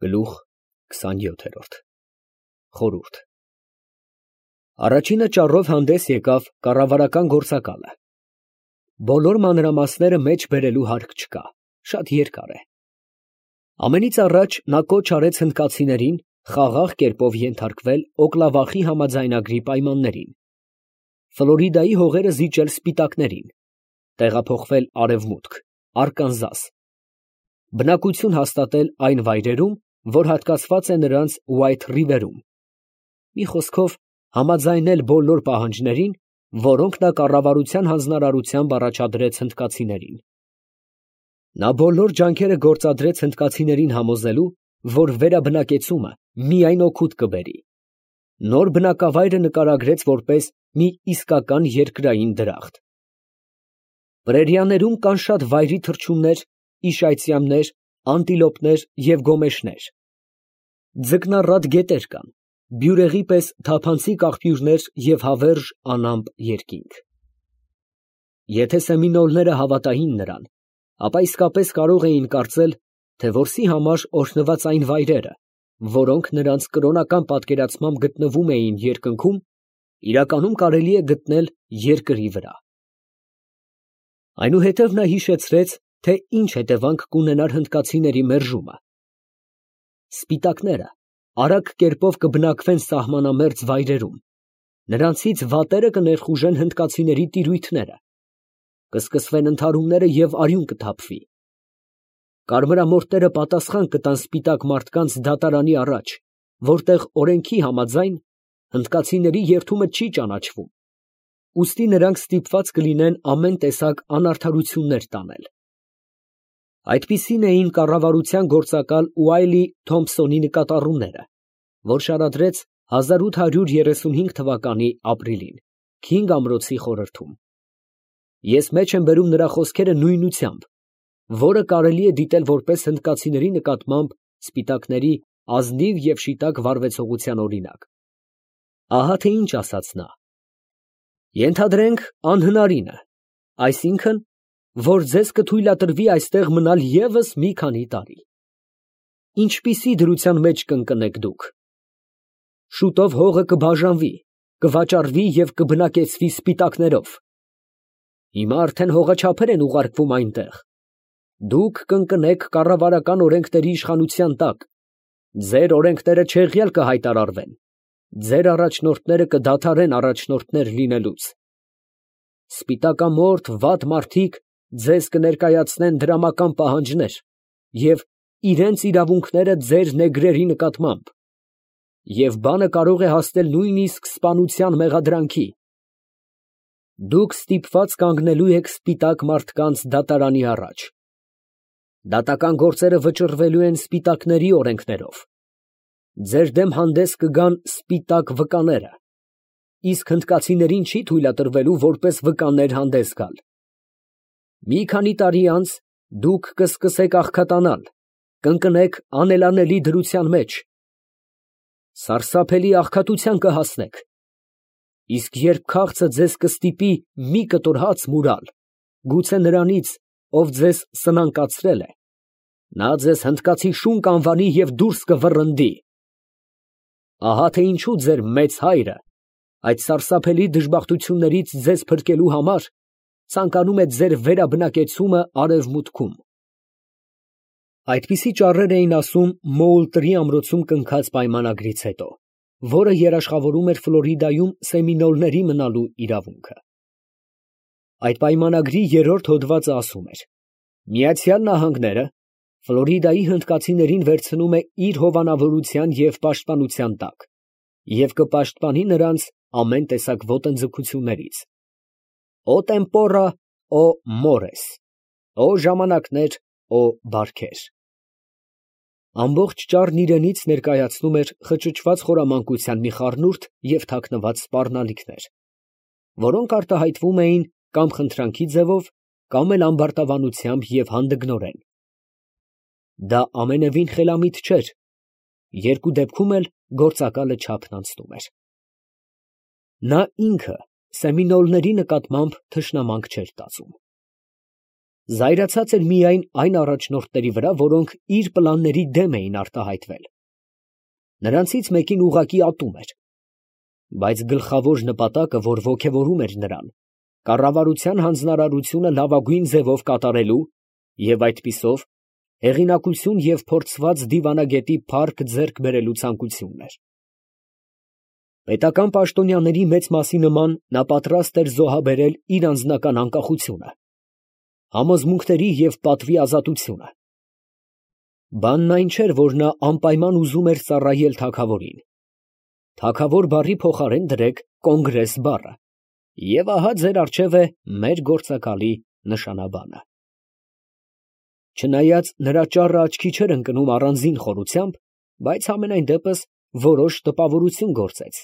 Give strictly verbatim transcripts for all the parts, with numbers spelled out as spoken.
Գլուխ քսանյոթ Խորհուրդ Առաջինը ճառով հանդես եկավ կառավարական գործակալը։ Բոլոր մանրամասները մեջ բերելու հարկ չկա, շատ երկար է։ Ամենից առաջ նա կոչ արեց հնդկացիներին խաղաղ կերպով ենթարկվել Օկլավախի համաձայնագրի պայմաններին, Ֆլորիդայի հողերը զիջել սպիտակներին, տեղափոխվել արևմուտք, Արկանզաս, բնակություն հաստատել այն վայրերում, որ հատկացված է նրանց Ուայթ Ռիվերում, մի խոսքով համաձայնել բոլոր պահանջներին, որոնք նա կառավարության հանձնարարությամբ առաջադրեց հնդկացիներին։ Նա բոլոր ջանքերը գործադրեց հնդկացիներին համոզելու, որ վերաբնակեցումը միայն օգուտ կբերի։ Նոր բնակավայրը նկարագրեց որպես մի իսկական երկրային դրախտ։ Պրերիաներում կան շատ վայրի թռչուններ, իշայծյամներ, անտիլոպներ և գոմեշներ։ Ձկնառատ գետեր կան, բյուրեղի պես թափանցիկ աղբյուրներ և հավերժ անամպ երկինք։ Եթե սեմինոլները հավատային նրան, ապա իսկապես կարող էին կարծել, թե որսի համար օրհնված այն վայրերը, որոնք նրանց կրոնական պատկերացմամբ գտնվում էին երկնքում, իրականում կարելի է գտնել երկրի վրա։ Այնուհետև նա հիշեցրեց, թե ինչ հետևանք կունենար հնդկացիների մերժումը։ Սպիտակները արագ կերպով կբնակվեն սահմանամերձ վայրերում, նրանցից վատերը կներխուժեն հնդկացիների տիրույթները, կսկսվեն ընդհարումները և արյուն կթափվի։ Կարմրամորթները պատասխան կտան սպիտակ մարդկանց դատարանի առաջ, որտեղ օրենքի համաձայն հնդկացիների երդումը չի ճանաչվում, ուստի նրանք ստիպված կլինեն ամեն տեսակ անարդարություններ տանել։ Այդպիսին էին կառավարության գործակալ Ուայլի Թոմփսոնի նկատառումները, որ շարադրեց հազար ութ հարյուր երեսունհինգ թվականի ապրիլին, Քինգ ամրոցի խորհրդում։ Ես մեջ եմ բերում նրա խոսքերը նույնությամբ, որը կարելի է դիտել որպես հնդկացիների նկատմամբ սպիտակների ազնիվ և շիտակ վարվեցողության օրինակ։ Ահա թե ինչ ասաց նա. «Ենթադրենք անհնարինը, այսինքն, որ ձեզ կթույլատրվի այստեղ մնալ ևս մի քանի տարի։ Ինչպիսի դրության մեջ կընկնեք դուք։ Շուտով հողը կբաժանվի, կվաճառվի և կբնակեցվի սպիտակներով։ Հիմա արդեն հողաչափեր են ուղարկվում այնտեղ։ Դուք կընկնեք կառավարական օրենքների իշխանության տակ, ձեր օրենքները չեղյալ կհայտարարվեն, ձեր առաջնորդները կդադարեն առաջնորդներ լինելուց։ Սպիտակամորթ վատ մարդիկ ձեզ կներկայացնեն դրամական պահանջներ և իրենց իրավունքները ձեր նեգրերի նկատմամբ, և բանը կարող է հասնել նույնիսկ սպանության մեղադրանքի։ Դուք ստիպված կանգնելու եք սպիտակ մարդկանց դատարանի առաջ։ Դատական գործերը վճռվելու են սպիտակների օրենքներով։ Ձեր դեմ հանդես կգան սպիտակ վկաները, իսկ հնդկացիներին չի թույլատրվելու որպես վկաներ հանդես գալ։ Մի քանի տարի անց դուք կսկսեք աղքատանալ, կընկնեք անելանելի դրության մեջ, սարսափելի աղքատության կհասնեք, իսկ երբ քաղցը ձեզ կստիպի մի կտոր հաց մուրալ, գուցե նրանից, ով ձեզ սնանկացրել է, նա ձեզ հնդկացի շուն կանվանի և դուրս կվռնդի։ Ահա թե ինչու ձեր մեծ հայրը այդ սարսափելի դժբախտություններից ձեզ փրկելու համար ցանկանում է ձեր վերաբնակեցումը արևմուտքում»։ Այդպիսի ճառեր էին ասում Մոուլտրի ամրոցում կնքած պայմանագրից հետո, որը երաշխավորում էր Ֆլորիդայում սեմինոլների մնալու իրավունքը։ Այդ պայմանագրի երրորդ հոդվածը ասում էր. «Միացյալ Նահանգները Ֆլորիդայի հնդկացիներին վերցնում է իր հովանավորության և պաշտպանության տակ և կպաշտպանի նրանց ամեն տեսակ ոտնձգություններից։ Օ տեմպորա, օ մորես, օ ժամանակներ, օ բարքեր»։ Ամբողջ ճառն իրենից ներկայացնում էր խճճված խորամանկության մի խառնուրդ և թաքնված սպառնալիքներ, որոնք արտահայտվում էին կամ խնդրանքի ձևով, կամ էլ ամբարտավանությամբ և հանդգնորեն։ Դա ամենևին խելամիտ չէր, երկու դեպքում էլ գործակալը չափն անցնում էր։ Նա ինքը սեմինոլների նկատմամբ թշնամանք չէր տածում։ Զայրացած էր միայն այն առաջնորդների վրա, որոնք իր պլանների դեմ էին արտահայտվել. նրանցից մեկին ուղղակի ատում էր, բայց գլխավոր նպատակը, որ ոգևորում էր նրան, կառավարության հանձնարարությունը լավագույն ձևով կատարելու և այդպիսով հեղինակություն և փորձված դիվանագետի փառք ձեռք բերելու ցանկությունն էր։ Պետական պաշտոնյաների մեծ մասի նման նա պատրաստ էր զոհաբերել իր անձնական անկախությունը, համոզմունքների և պատվի ազատությունը։ Բանն այն չէր, որ նա անպայման ուզում էր ծառայել թագավորին։ Թագավոր բառի փոխարեն դրեք կոնգրես բառը, և ահա ձեր առջև է մեր գործակալի նշանաբանը։ Չնայած նրա ճառը աչքի չէր ընկնում առանձին խորությամբ, բայց համենայն դեպս որոշ տպավորություն գործեց,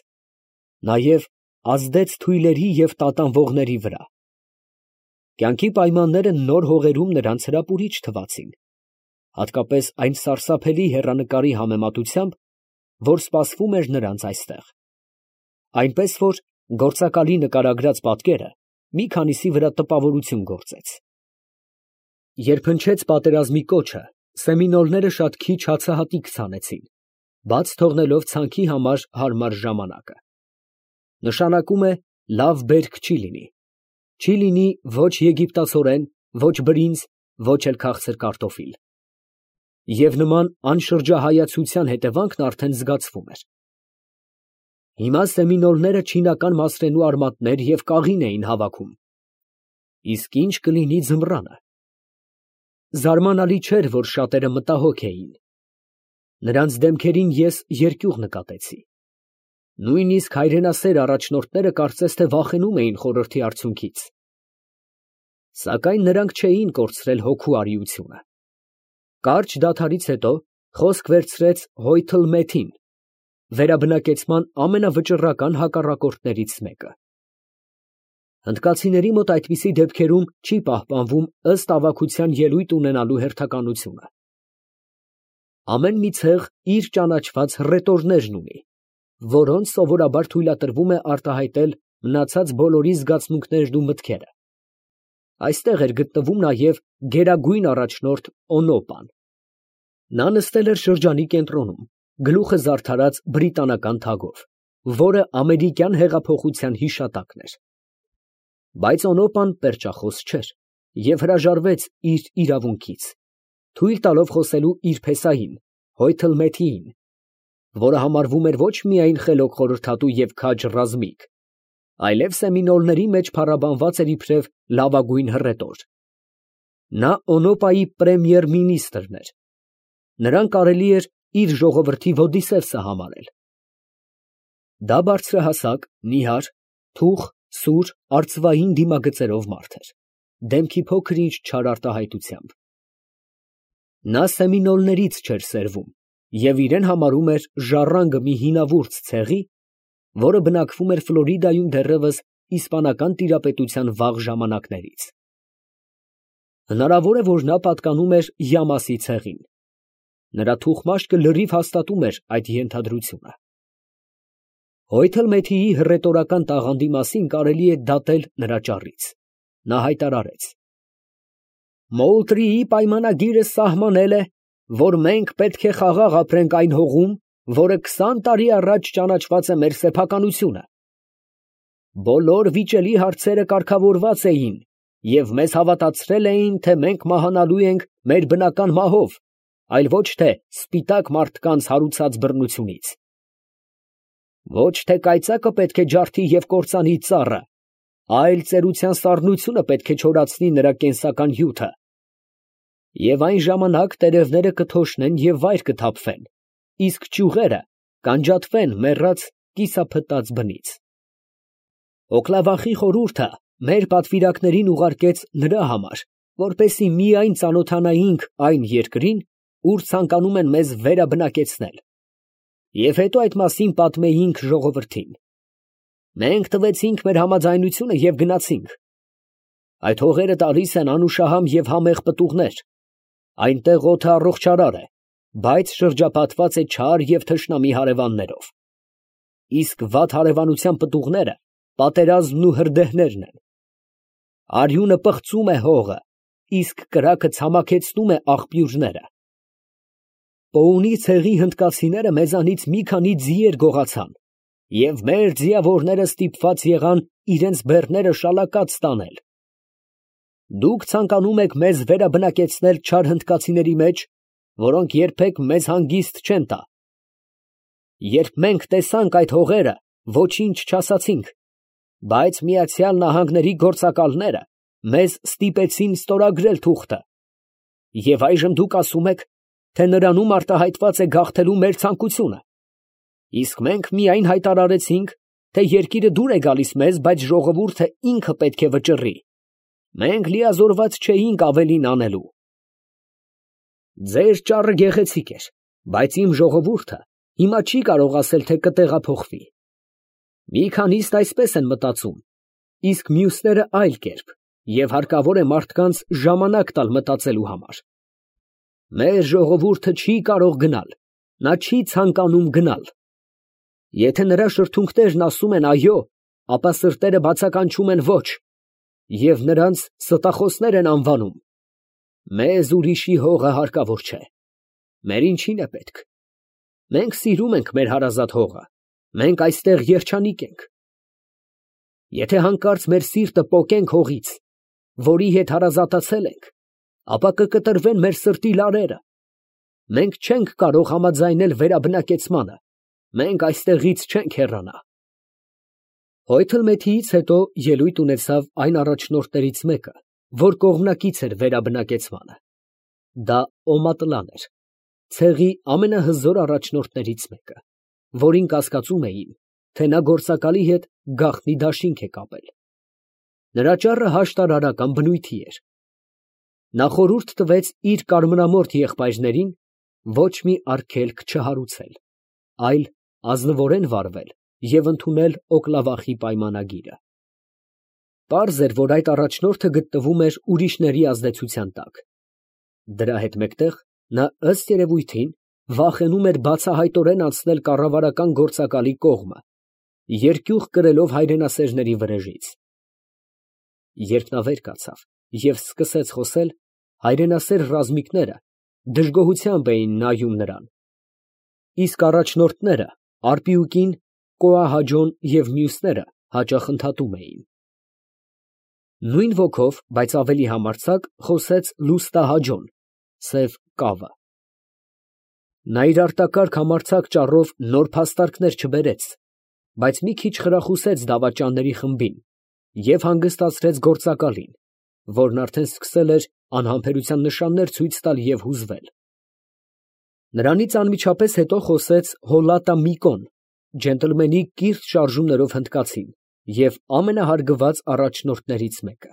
նաև ազդեց թույլերի և տատանվողների վրա։ Կյանքի պայմանները նոր հողերում նրանց հրապուրիչ թվացին, հատկապես այն սարսափելի հեռանկարի համեմատությամբ, որ սպասվում էր նրանց այստեղ, այնպես որ գործակալի նկարագրած պատկերը մի քանիսի վրա տպավորություն գործեց։ Երբ հնչեց պատերազմի կոչը, սեմինոլները շատ քիչ հացահատիկ ցանեցին, բաց թողնելով ցանքի համար հարմար ժամանակը։ Նշանակում է լավ բերք չի լինի, չի լինի ոչ եգիպտացորեն, ոչ բրինձ, ոչ էլ քաղցր կարտոֆիլ։ Եվ նման անշրջահայացության հետևանքն արդեն զգացվում էր։ Հիմա սեմինոլները չինական մասրենու արմատներ և կաղին էին հավաքում։ Իսկ ի՞նչ կլինի ձմռանը։ Զարմանալի չէր, որ շատերը մտահոգ էին։ Նրանց դեմքերին ես երկյուղ նկատեցի։ Նույնիսկ հայրենասեր առաջնորդները կարծես թե վախենում էին խորհրդի արդյունքից։ Սակայն նրանք չէին կորցրել հոգու արիությունը։ Կարճ դադարից հետո խոսք վերցրեց Հոյթլ Մեթին, վերաբնակեցման ամենավճռական հակառակորդներից մեկը։ Հնդկացիների մոտ այդպիսի դեպքերում չի պահպանվում ըստ ավագության ելույթ ունենալու հերթականությունը։ Ամեն մի ցեղ իր ճանաչված հռետորներն ունի, որոնց սովորաբար թույլատրվում է արտահայտել մնացած բոլորի զգացմունքներն ու մտքերը։ Այստեղ էր գտնվում նաև գերագույն առաջնորդ Օնոպան։ Նա նստել էր շրջանի կենտրոնում, գլուխը զարդարած բրիտանական թագով, որը ամերիկյան հեղափոխության հիշատակն էր։ Բայց Օնոպան պերճախոս չէր և հրաժարվեց իր իրավունքից, թույլ տալով խոսելու իր փեսային Հոյթլ Մեթիին, որը համարվում էր ոչ միայն խելոք խորհրդատու և քաջ ռազմիկ, այլև սեմինոլների մեջ փառաբանված էր իբրև լավագույն հռետոր։ Նա Օնոպայի պրեմիեր֊մինիստրն էր։ Նրան կարելի էր իր ժողովրդի Ոդիսևսը համարել։ Դա բարձրահասակ, նիհար, թուխ, սուր, արծվային դիմագծերով մարդ էր, դեմքի փոքր-ինչ չար արտահայտությամբ։ Նա սեմինոլներից չէր սերվում և իրեն համարում էր ժառանգը մի հինավուրց ցեղի, որը բնակվում էր Ֆլորիդայում դեռևս իսպանական տիրապետության վաղ ժամանակներից։ Հնարավոր է, որ նա պատկանում էր Յամասի ցեղին։ Նրա թուխմաշկը լրիվ հաստատում էր այդ ենթադրությունը։ Հոյթլ Մեթիի հռետորական տաղանդի մասին կարելի է դատել նրա ճառից։ Նա հայտարարեց. Մոուլտրիի պայմանագիրը սահմանել է, որ մենք պետք է խաղաղ ապրենք այն հողում, որը քսան տարի առաջ ճանաչված է մեր սեփականությունը։ Բոլոր վիճելի հարցերը կարգավորված էին և մեզ հավատացրել էին, թե մենք մահանալու ենք մեր բնական մահով, այլ ոչ թե սպիտակ մարդկանց հարուցած բռնությունից։ Ոչ թե կայծակը պետք է ջարդի և կործանի ծառը, այլ ծերության սառնությունը պետք է չորացնի նրա կենսական հյութը։ Եվ այն ժամանակ տերևները կթոշնեն և վայր կթափվեն, իսկ ճյուղերը կանջատվեն մեռած կիսափտած բնից։ Օքլավախի խորհուրդը մեր պատվիրակներին ուղարկեց նրա համար, որպեսզի միայն ծանոթանայինք այն երկրին, ուր ցանկանում են մեզ վերաբնակեցնել, և հետո այդ մասին պատմեինք ժողովրդին։ Մենք տվեցինք մեր համաձայնությունը և գնացինք։ Այդ հողերը տալիս են անուշահամ և համեղ պտուղներ, այնտեղ օդը առողջարար է, բայց շրջապատված է չար և թշնամի հարևաններով, իսկ վատ հարևանության պտուղները պատերազմն ու հրդեհներն են։ Արյունը պղծում է հողը, իսկ կրակը ցամաքեցնում է աղբյուրները։ Պոունի ցեղի հնդկացիները մեզանից մի քանի ձիեր գողացան, և մեր ձիավորները ստիպված եղան իրենց բեռները շալակած տանել։ Դուք ցանկանում եք մեզ վերաբնակեցնել չար հնդկացիների մեջ, որոնք երբեք մեզ հանգիստ չեն տա։ Երբ մենք տեսանք այդ հողերը, ոչինչ չասացինք, բայց Միացյալ Նահանգների գործակալները մեզ ստիպեցին ստորագրել թուղթը, և այժմ դուք ասում եք, թե նրանում արտահայտված է գաղթելու մեր ցանկությունը, իսկ մենք միայն հայտարարեցինք, թե երկիրը դուր է գալիս մեզ, բայց ժողովուրդը ինքը պետք է վճռի։ Մենք լիազորված չէինք ավելին անելու։ Ձեր ճառը գեղեցիկ էր, բայց իմ ժողովուրդը հիմա չի կարող ասել, թե կտեղափոխվի։ Մի քանիստ այսպես են մտածում, իսկ մյուսները այլ կերպ, և հարկավոր է մարդկանց ժամանակ տալ մտածելու համար։ Մեր ժողովուրդը չի կարող գնալ, նա չի ցանկանում գնալ։ Եթե նրա շրթունքներն ասում են այո, ապա սրտերը բացականչում են ոչ, և նրանց ստախոսներ են անվանում։ Մեզ ուրիշի հողը հարկավոր չէ։ Մեր ինչին է պետք։ Մենք սիրում ենք մեր հարազատ հողը, մենք այստեղ երջանիկ ենք։ Եթե հանկարծ մեր սիրտը պոկենք հողից, որի հետ հարազատացել ենք, ապա կկտրվեն մեր սրտի լարերը։ Մենք չենք կարող համաձայնել վերաբնակեցմանը, մենք այստեղից չենք հեռանա։ Հոյթլմեթիից հետո ելույթ ունեցավ այն առաջնորդներից մեկը, որ կողմնակից էր վերաբնակեցմանը։ Դա Օմատլան էր, ցեղի ամենահզոր առաջնորդներից մեկը, որին կասկածում էին, թե նա գործակալի հետ գաղտնի դաշինք է կապել։ Նրա ճառը հաշտարարական բնույթի էր։ Նա խորհուրդ տվեց իր կարմրամորթ եղբայրներին ոչ մի արգելք չհարուցել, այլ ազնվորեն վարվել և ընդունել Օկլավախի պայմանագիրը։ Պարզ էր, որ այդ առաջնորդը գտնվում էր ուրիշների ազդեցության տակ։ Դրա հետ մեկտեղ նա ըստ երևույթին վախենում էր բացահայտորեն անցնել կառավարական գործակալի կողմը, երկյուղ կրելով հայրենասերների վրեժից։ Երբ նա վեր կացավ և սկսեց խոսել, հայրենասեր ռազմիկները դժգոհությամբ էին նայում նրան, իսկ առաջնորդները Արպիուկին, Կոահաջոն և մյուսները հաճախ ընդհատում էին։ Նույն ոգով, բայց ավելի համարձակ խոսեց Լուստահաջոն, սև կավը։ Նա իր արտակարգ համարձակ ճառով նոր փաստարկներ չբերեց, բայց մի քիչ խրախուսեց դավաճանների խմբին և հանգստացրեց գործակալին, որն արդեն սկսել էր անհամբերության նշաններ ցույց տալ և հուզվել։ Նրանից անմիջապես հետո խոսեց Հոլատա Միկոն, ջենտլմենի կիրթ շարժումներով հնդկացին և ամենահարգված առաջնորդներից մեկը։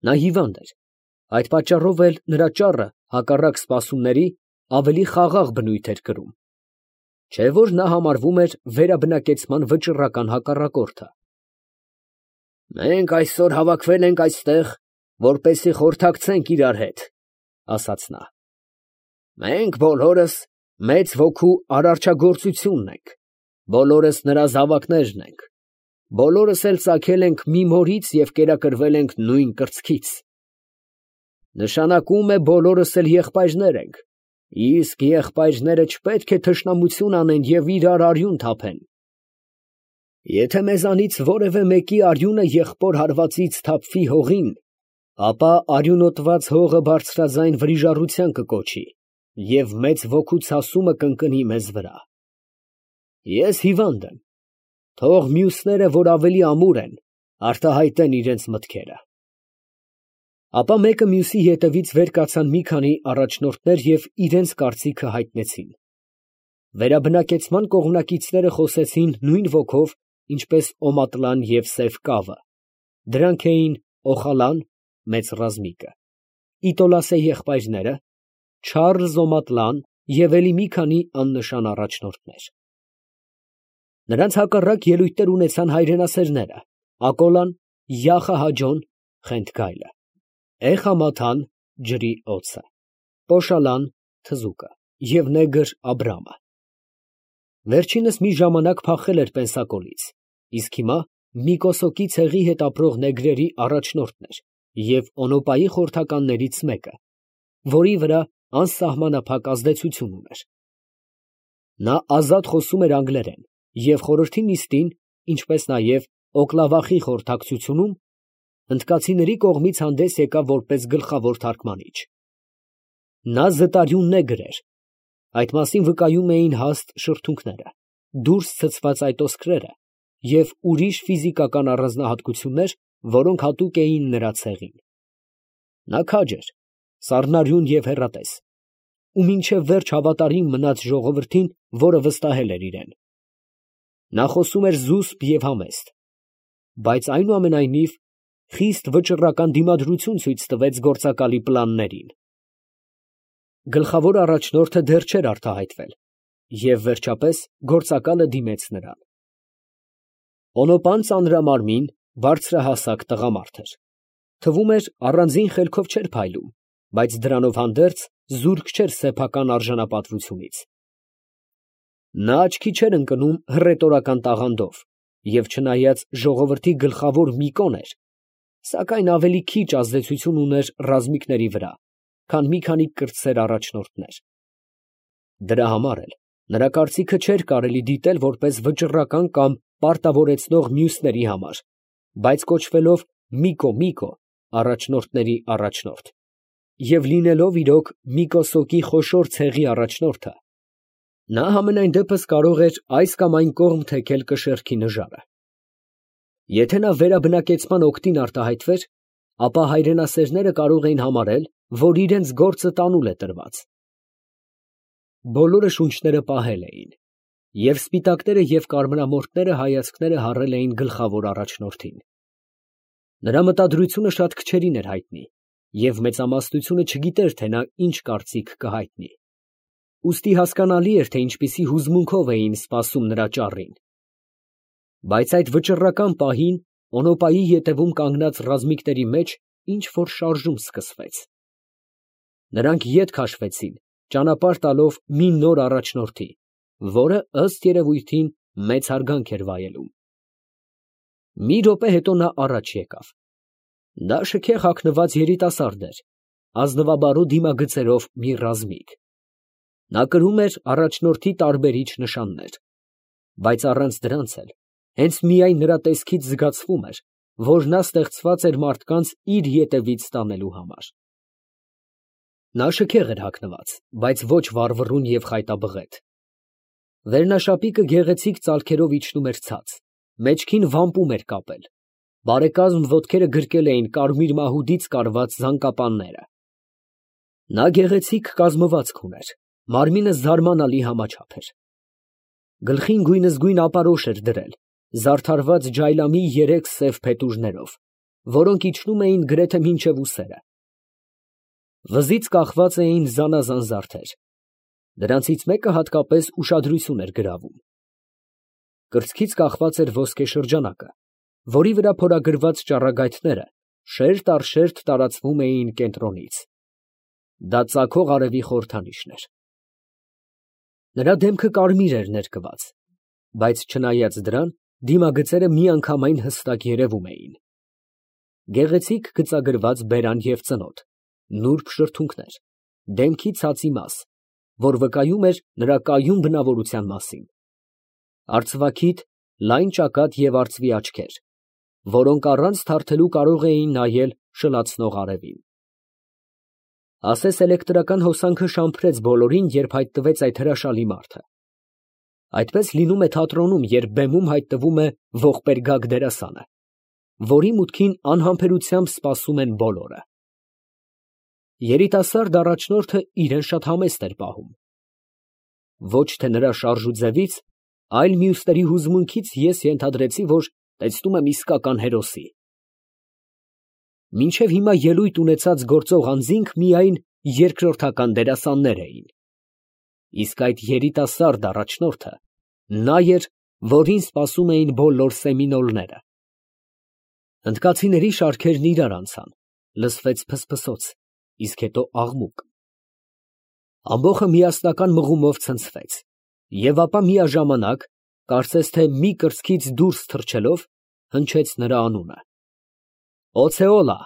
Նա հիվանդ էր, այդ պատճառով էլ նրա ճառը, հակառակ սպասումների, ավելի խաղաղ բնույթ էր կրում, չէ՞ որ նա համարվում էր վերաբնակեցման վճռական հակառակորդը։ «Մենք այսօր հավաքվել ենք այստեղ, որպեսզի խորհրդակցենք իրար հետ, ֊ ասաց նա։ Մենք բոլորս մեծ ոգու արարչագործությունն ենք, բոլորս նրա զավակներն ենք, բոլորս էլ ծագել ենք մի մորից և կերակրվել ենք նույն կրծքից։ Նշանակում է բոլորս էլ եղբայրներ ենք, իսկ եղբայրները չպետք է թշնամություն անեն և իրար արյուն թափեն։ Եթե մեզանից որևէ մեկի արյունը եղբոր հարվածից թափվի հողին, ապա արյունոտված հողը բարձրաձայն վրիժառության կկոչի և մեծ ոգու ցասումը կընկնի մեզ վրա։ Ես հիվանդ եմ, թող մյուսները, որ ավելի ամուր են, արտահայտեն իրենց մտքերը։ Ապա մեկը մյուսի ետևից վեր կացան մի քանի առաջնորդներ և իրենց կարծիքը հայտնեցին։ Վերաբնակեցման կողմնակիցները խոսեցին նույն ոգով, ինչպես Օմատլան և սև կավը։ Դրանք էին Օխալան, մեծ ռազմիկը, Իտոլասե եղբայրները, Չարլզ Օմատլան և էլի մի քանի աննշան առաջնորդներ։ Նրանց հակառակ ելույթներ ունեցան հայրենասերները՝ Ակոլան, Յախա Հաջոն (Խենթկայլը), Էխամաթան (Ջրի օձը), Պոշալան (Թզուկը) և նեգր Աբրամը։ Վերջինս մի ժամանակ փախել էր Պենսակոլից, իսկ հիմա Միկոսոկի ցեղի հետ ապրող նեգրերի առաջնորդն էր և Օնոպայի խորհրդականներից մեկը, որի վրա անսահմանափակ ազդեցություն ուներ։ Նա ազատ խոսում էր անգլերեն և խորհրդի նիստին, ինչպես նաև Օկլավախի խորհրդակցությունում, հնդկացիների կողմից հանդես եկավ որպես գլխավոր թարգմանիչ։ Նա զտարյունն է գրեր, այդ մասին վկայում էին հաստ շրթունքները, դուրս ցցված այտոսկրերը և ուրիշ ֆիզիկական առանձնահատկություններ, որոնք հատուկ էին նրա ցեղին։ Նա քաջ էր, սառնարյուն և հեռատես, ու մինչև վերջ հավատարիմ մնաց ժողովրդին, որը վստահել էր իրան։ Նա խոսում էր զուսպ և համեստ, բայց այնուամենայնիվ խիստ վճռական դիմադրություն ցույց տվեց գործակալի պլաններին։ Գլխավոր առաջնորդը դեռ չէր արտահայտվել, և վերջապես գործակալը դիմեց նրան։ Օնոպան ծանրամարմին, բարձրահասակ տղամարդ էր, թվում էր առանձին խելքով չէր փայլում, բայց դրանով հանդերձ զուրկ չէր սեփական արժանապատվությունից։ Նա աչքի չէր ընկնում հռետորական տաղանդով և չնայած ժողովրդի գլխավոր Միկոն էր, սակայն ավելի քիչ ազդեցություն ուներ ռազմիկների վրա, քան մի քանի կրտսեր առաջնորդներ։ Դրա համար էլ նրա կարծիքը չէր կարելի դիտել որպես վճռական կամ պարտավորեցնող մյուսների համար, բայց կոչվելով Միկո Միկո, առաջնորդների առաջնորդ, և լինելով իրոք Միկոսոկի խոշոր ցեղի առաջնորդը, նա համենայն դեպս կարող էր այս կամ այն կողմ թեքել կշեռքի նժարը։ Եթե նա վերաբնակեցման օգտին արտահայտվեր, ապա հայրենասերները կարող էին համարել, որ իրենց գործը տանուլ է տրված։ Բոլորը շունչները պահել էին, և սպիտակները և կարմրամորթները հայացքները հառել էին գլխավոր առաջնորդին։ Նրա մտադրությունը շատ քչերին էր հայտնի, և մեծամասնությունը չգիտեր, թե նա ինչ կարծիք կհայտնի, ուստի հասկանալի էր, թե ինչպիսի հուզմունքով էին սպասում նրա ճառին։ Բայց այդ վճռական պահին Օնոպայի ետևում կանգնած ռազմիկների մեջ ինչ֊որ շարժում սկսվեց։ Նրանք ետ քաշվեցին, ճանապարհ տալով մի նոր առաջնորդի, որը, ըստ երևույթին, մեծ հարգանք էր վայելում։ Մի րոպե հետո նա առաջ եկավ։ Դա շքեղ հագնված երիտասարդ էր, ազնվաբարո դիմագծերով մի ռազմիկ։ Նա կրում էր առաջնորդի տարբերիչ նշաններ, բայց առանց դրանց էլ հենց միայն նրա տեսքից զգացվում էր, որ նա ստեղծված էր մարդկանց իր ետևից տանելու համար։ Նա շքեղ էր հագնված, բայց ոչ վառվռուն և խայտաբղետ։ Վերնաշապիկը գեղեցիկ ծալքերով իջնում էր ցած, մեջքին վամպում էր կապել, բարեկազմ ոտքերը գրկել էին կարմիր մահուդից կարված զանգապանները։ Նա գեղեցիկ կազմվածք ուներ, մարմինը զարմանալի համաչափ էր։ Գլխին գույնզգույն ապարոշ էր դրել, զարդարված ջայլամի երեք սև փետուրներով, որոնք իջնում էին գրեթե մինչև ուսերը։ Վզից կախված էին զանազան զարդեր, դրանցից մեկը հատկապես ուշադրություն էր գրավում։ Կրծքից կախված էր ոսկե շրջանակը, որի վրա փորագրված ճառագայթները շերտ առ շերտ տարածվում էին կենտրոնից։ Դա ծագող արևի խորհրդանիշն էր։ Նրա դեմքը կարմիր էր ներկված, բայց չնայած դրան, դիմագծերը միանգամայն հստակ երևում էին։ Գեղեցիկ գծագրված բերան և ծնոտ, նուրբ շրթունքներ, դեմքի ցածի մաս, որ վկայում էր նրա կայուն բնավորության մասին, արծվաքիթ, լայն ճակատ և արծվի աչքեր, որոնք առանց թարթելու կարող էին նայել շլացնող արևին։ Ասես էլեկտրական հոսանքը շամփրեց բոլորին, երբ հայտնվեց այդ հրաշալի մարդը։ Այդպես լինում է թատրոնում, երբ բեմում հայտնվում է ողբերգակ դերասանը, որի մուտքին անհամբերությամբ սպասում են բոլորը։ Երիտասարդ առաջնորդը իրեն շատ համեստ էր պահում։ Ոչ թե նրա շարժուձևից, այլ մյուսների հուզմունքից ես ենթադրեցի, որ տեսնում եմ իսկական հերոսի։ Մինչև հիմա ելույթ ունեցած գործող անձինք միայն երկրորդական դերասաններ էին, իսկ այդ երիտասարդ առաջնորդը նա էր, որին սպասում էին բոլոր սեմինոլները։ Հնդկացիների շարքերն իրար անցան, լսվեց փսփսոց, իսկ հետո աղմուկ։ Ամբոխը միասնական մղումով ցնցվեց, և ապա միաժամանակ, կարծես թե մի կրծքից դուրս թռչելով, հնչեց նրա անունը. «Օցեոլա»։